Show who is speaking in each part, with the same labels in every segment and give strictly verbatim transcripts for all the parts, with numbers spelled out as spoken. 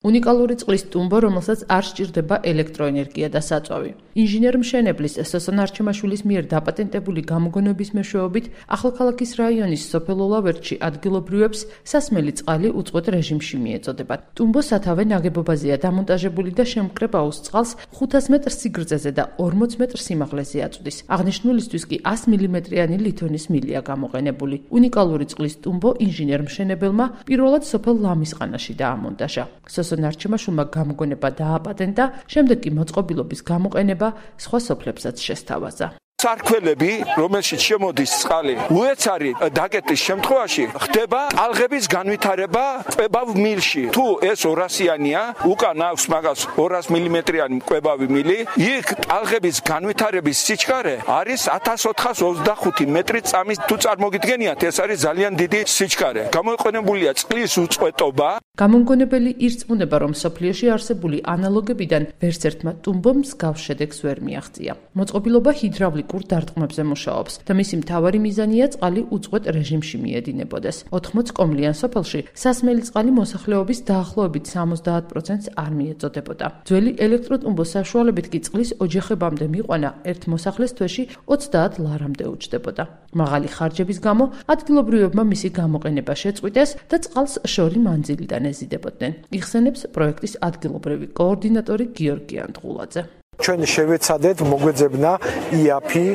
Speaker 1: უნიკალური წყლის ტუმბო, რომელსაც არ სჭირდება ელექტროენერგია და საწვავი. ინჟინერ-მშენებლის სოსონ არჩემაშვილის მიერ დაპატენტებული გამოგონების მეშვეობით ახალქალაქის რაიონის სოფელ ოლავერტში ადგილობრივებს სასმელი წყალი უწყვეტ რეჟიმში მიეწოდებათ. ტუმბო სათავე ნაგებობაზეა დამონტაჟებული და შემკრებ აუზ წყალს ხუთას მეტრ სიგრძეზე და ორმოც მეტრ სიმაღლეზე აწვდის. აღნიშნულისთვის კი ას მილიმეტრიანი ლითონის მილია გამოყენებული. უნიკალური წყლის ტუმბო ინჟინერ-მშენებელმა პირველად სოფელ ლამისყანაში დაამონტაჟა. სოსონ არჩემაშვილმა გამოგონება დააპატენტა, შემდეგ კი მოწყობილობის გამოყენება სხვა სოფლებსაც შესთავაზა.
Speaker 2: სარქველები, რომელშიც შემოდის წყალი, უეცარი დაკეტის შემთხვევაში ხდება ტალღების განვითარება კვებავ მილში. თუ ეს ორასიანია, უკან აქვს მაგას ორას მილიმეტრიანი კვებავი მილი, იქ ტალღების განვითარების სიჩქარე არის ათას ოთხას ოცდახუთი მეტრი წამის. თუ წარმოგიდგენიათ, ეს არის ძალიან დიდი სიჩქარე. გამოყენებულია წყლის უწყვეტობა.
Speaker 1: გამომგონებელი ირწმუნება, რომ სოფლიოში არსებული ანალოგებიდან ვერც ერთმა ტუმბომ მსგავს შედეგს ვერ მიაღწია. მოწყობილობა ჰიდრავლიკურ დარტყმებზე მუშაობს და მისი მთავარი მიზანია წყალი უწყვეტ რეჟიმში მიედინებოდეს. ოთხმოც კომლიან სოფელში სასმელი წყალი მოსახლეობის დაახლოებით სამოცდაათ პროცენტს არ მიეწოდებოდა. ძველი ელექტროტუმბოს საშუალებით კი წყლის ოჯახებამდე მიყვანა ერთ მოსახლეს თვეში ოცდაათ ლარამდე უჯდებოდა. მაღალი ხარჯების გამო ადგილობრივებმა მისი გამოყენება შეწყვიტეს და წყალს შორი მანძილიდან ეზიდებოდნენ. იხსენებს პროექტის ადგილობრივი კოორდინატორი გიორგი ანტღულაძე.
Speaker 3: ჩვენ შევეცადეთ მოგვეძებნა იაფი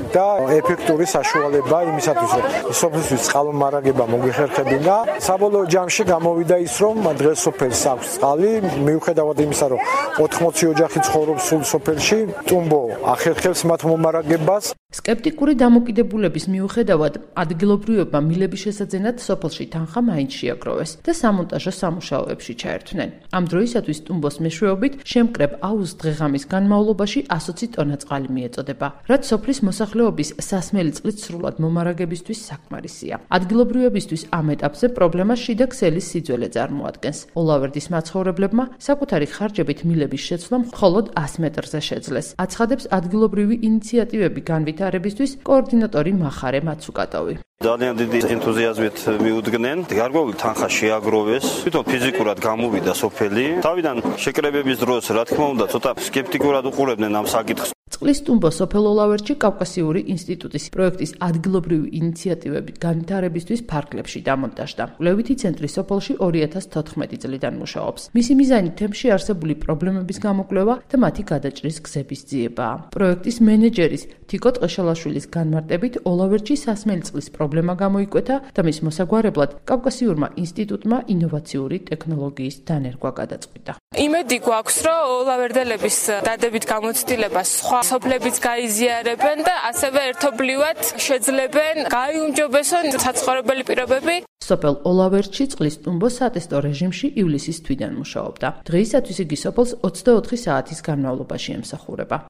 Speaker 3: და ეფექტური საშუალება იმისათვის, რომ სოფლისთვის წყალმომარაგება მოგვიხერხებინა. საბოლოო ჯამში გამოვიდა ის, რომ დღეს სოფელს აქვს წყალი, მიუხედავად იმისა, რომ ოთხმოცი ოჯახი ცხოვრობს სულ სოფელში, ტუმბო ახერხებს მათ მომარაგებას.
Speaker 1: სკეპტიკური დამოკიდებულების მიუხედავად ადგილობრივებმა მილების შესაძენად სოფელში თანხა მაინც შეაგროვეს და სამონტაჟო სამუშაოებში ჩაერთვნენ. ამ დროისათვის ტუმბოს მეშვეობით შემკრებ აუზ დღეღამის განმავლობაში ასოცი ტონა წყალი მიეწოდება, რაც სოფლის მოსახლეობის სასმელი წყლით სრულად მომარაგებისთვის საკმარისია. ადგილობრივებისთვის ამ ეტაპზე პრობლემა შიდა ქსელის სიძველე წარმოადგენს. ოლავერდის მაცხოვრებლებმა საკუთარი ხარჯებით მილების შეცვლა მხოლოდ ას მეტრზე შეძლეს. აცხადებს ადგილობრივი ინიციატივები განვითარებისთვის კოორდინატორი მახარე მაცუკატოვი.
Speaker 4: ძალიან დიდი ენთუზიაზმით მიუდგნენ. გარკვეული თანხა შეაგროვეს. თვითონ ფიზიკურად გამოვიდა სოფელი. თავიდან შეკრებების დროს, რა თქმა უნდა, ცოტა სკეპტიკურად უყურებდნენ ამ საკითხს.
Speaker 1: წყლის ტუმბო სოფელ ოლავერტში კავკასიური ინსტიტუტის პროექტის ადგილობრივი ინიციატივები განვითარებისთვის ფარგლებში დამონტაჟდა. კვლევითი ცენტრი სოფელში ორი ათას თოთხმეტი წლიდან მუშაობს. მისი მიზანი თემში არსებული პრობლემების გამოკვლევა და მათი გადაჭრის გზების ძიებაა. პროექტის მენეჯერის თიკო ტყეშელაშვილის განმარტებით ოლავერტში სასმელი წყლის პრობლემა გამოიკვეთა და მის მოსაგვარებლად კავკასიურმა ინსტიტუტმა ინოვაციური ტექნოლოგიის დანერგვა გადაწყვიტა.
Speaker 5: იმედი გვაქვს, რომ ოლავერდელების დადებით გამოცდილებას სხვა სოფლებიც გაიზიარებენ და ასევე ერთობლივად შეძლებენ გაიუმჯობესონ საცხოვრებელი პირობები.
Speaker 1: სოფელ ოლავერტში წყლის ტუმბო სატესტო რეჟიმში ივლისის თვიდან მუშაობდა. დღეისათვის იგი სოფელს ოცდაოთხი საათის განმავლობაში ემსახურება.